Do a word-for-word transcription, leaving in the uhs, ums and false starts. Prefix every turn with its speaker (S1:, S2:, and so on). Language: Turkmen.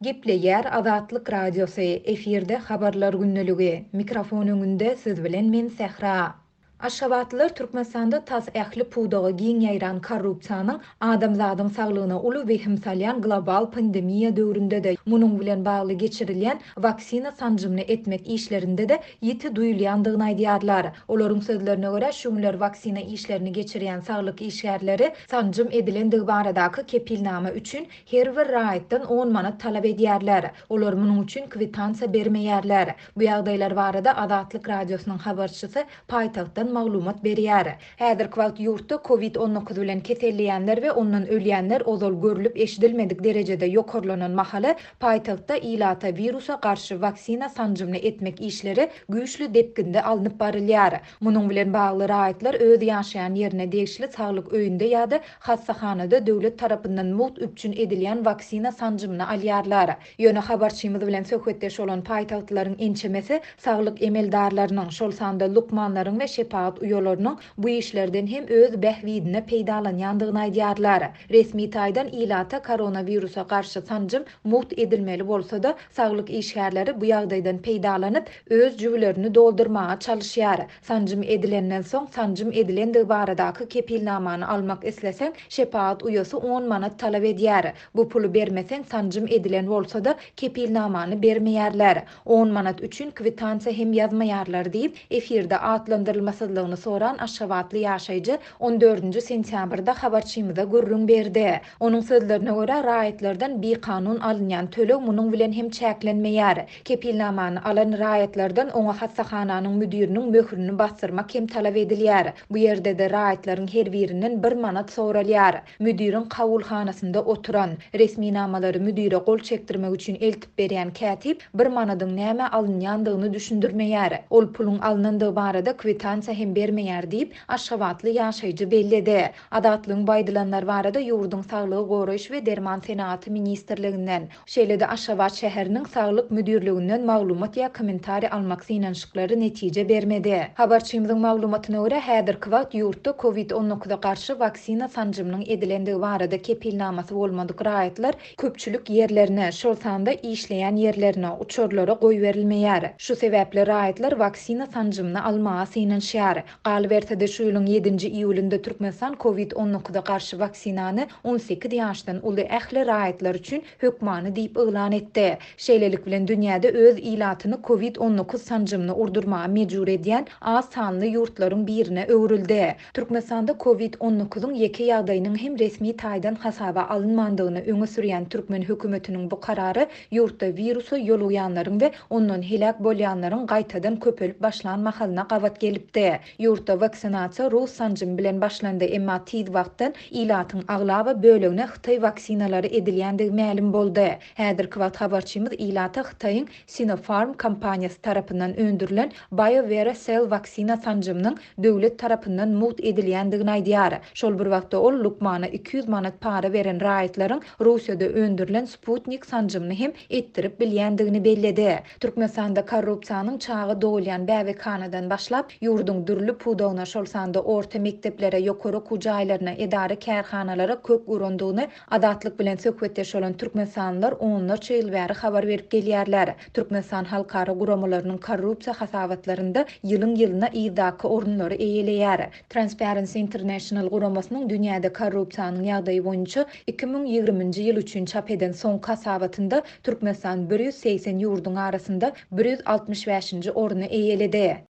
S1: Gepleýär Azatlyk Radiosy, efirde Habarlar gündeligi. Mikrofon öňünde siz bilen men Sähra. Aşgabatlylar Türkmenistanda tas ähli pudaga giň ýaýran korrupsiýanyň adamzadyň saglygyna uly wehim salýan global pandemiýa döwründe-de, munuň bilen bagly geçirilýän waksina sanjymyny etmek işlerinde-de ýiti duýulýandygyny aýdýarlar. Olaryň sözlerine görä, şu günler waksina işlerini geçirýän saglyk işgärleri sanjym edilendigi baradaky kepilnama üçin her bir raýatdan on manat talap edýärler. Olar munuň üçin kwitansiýa bermeýärler. Bu ýagdaýlar barada Azatlyk Radiosynyň habarçysy paýtagtdan maglumat berýär. Häzirki wagt ýurtda COVID on dokuz bilen keselleýänler we ondan ölýänler ozal görlüp eşidilmedik derejede ýokarlanan mahaly paýtagtda ilata wirusa garşy waksina sanjymyny etmek işleri güýçli depginde alnyp barylýar. Munuň bilen bagly raýatlar öz ýaşaýan ýerine degişli saglyk öýünde ýa-da hassahanada döwlet tarapyndan mugt üpjün edilýän waksina sanjymyny alýarlar. Ýöne habarçymyz bilen söhbetdeş bolan paýtagtlaryň ençemesi saglyk emeldarlarynyň, şol sanda lukmanlaryň we şepagat uýalarynyň bu işlerden hem öz bähbidine peýdalanýandygyny aýdýarlar. Resmi taýdan ilata koronawirusa garşy sanjym mugt edilmeli bolsa-da, saglyk işgärleri bu ýagdaýdan peýdalanyp, öz jübülerini doldurmaga çalyşýar. Sanjym edilenden soň sanjym edilendigi baradaky kepilnamany almak isleseň, şepagat uýasy on manat talap edýär. Bu puly bermeseň sanjym edilen bolsa-da kepilnamany bermeýärler. on manat üçin kwitansiýa hem ýazmaýarlar diýip, efirde atlandyrylmasyzlygyny soran Aşgabatly ýaşaýjy on dördünji sentýabrda habarçymyza gürrüň berdi. Onuň sözlerine görä, raýatlardan bikanun alynýan töleg munuň bilen hem çäklenmeýär. Kepilnamany alan raýatlardan oňa hassahananyň müdiriniň möhrüni basdyrmak hem talap edilýär. Bu ýerde-de raýatlaryň her birinden bir manat soralýar. Müdiriň kabulhanasynda oturan, resminamalary müdire gol çekdirmek üçin eltip berýän kätip bir manadyň näme alynýandygyny düşündirmeýär. Ol puluň alynandygy barada kwitansiýa hem bermeýär diýip, Aşgabatly ýaşaýjy belledi. Azatlygyň baýdylanlar barada ýurduň Saglygy goraýyş we derman senagaty ministrliginden, şeýle-de Aşgabat şäheriniň Saglyk müdirliginden maglumat ýa kommentariý almak synanyşyklary netije bermedi. Habarçymyzyň maglumatyna görä, häzirki wagt ýurtda COVID on dokuza garşy waksina sanjymynyň edilendigi barada kepilnamasy bolmadyk raýatlar köpçülik ýerlerine, şol sanda işleýän ýerlerine, uçarlara goýberilmeýär. Şu sebäpli raýatlar waksina sanjymyny almaga synanyşýar. Galyberse-de şu ýylyň ýedinji iýulynda Türkmenistan COVID on dokuza garşy waksinany on sekiz ýaşdan uly ähli raýatlar üçin hökmany diýip yglan etdi. Şeýlelik bilen dünýäde öz ilatyny COVID on dokuz sanjymyny urdurmaga mejbur edýän az sanly ýurtlaryň birine öwrüldi. Türkmenistanda COVID on dokuzyň ýeke ýagdaýynyň hem resmi taýdan hasaba alynmandygyny öňe sürýän türkmen hökümetiniň bu karary ýurtda wirusa ýolugýanlaryň we ondan heläk bolýanlaryň gaýtadan köpelip başlan mahalyna gabat gelipdi. Ýurtda waksinasiýa Rus sanjymy bilen başlandy, emma tiz wagtdan ilatyň aglaba bölegine Hytaý waksinalary edilýändigi mälim boldy. Häzirki wagt habarçymyz ilata Hytaýyň Sinopharm kompaniýasy tarapyndan öndürilen BioVera Cell waksina sanjymynyň döwlet tarapyndan mugt edilýändigini aýdýar. Şol bir wagtda ol lukmana iki ýüz manat para beren raýatlaryň Russiýada öndürilen Sputnik sanjymyny hem etdirip bilýändigini belledi. Türkmenistanda korrupsiýanyň çaga dogulýan bäbekhanadan başlap, ýurduň dürli pudagyna, şol sanda orta mekdeplere, ýokary okuw jaýlaryna, edara kärhanalara kök urandygyny Azatlyk bilen söhbetdeş bolan türkmenistanlylar onlarça ýyl bäri habar berip gelýärler. Türkmenistan halkara guramalarynyň korrupsiýa hasabatlarynda ýylyň ýylyna yzdaky orunlary eýeleýär. Transparency International guramasynyň dünýäde korrupsiýanyň ýagdaýy boýunça iki müň ýigriminji ýyl üçin çap eden soňky hasabatynda Türkmenistan bir ýüz segsen ýurduň arasynda bir ýüz altmyş bäşinji orny eýeledi.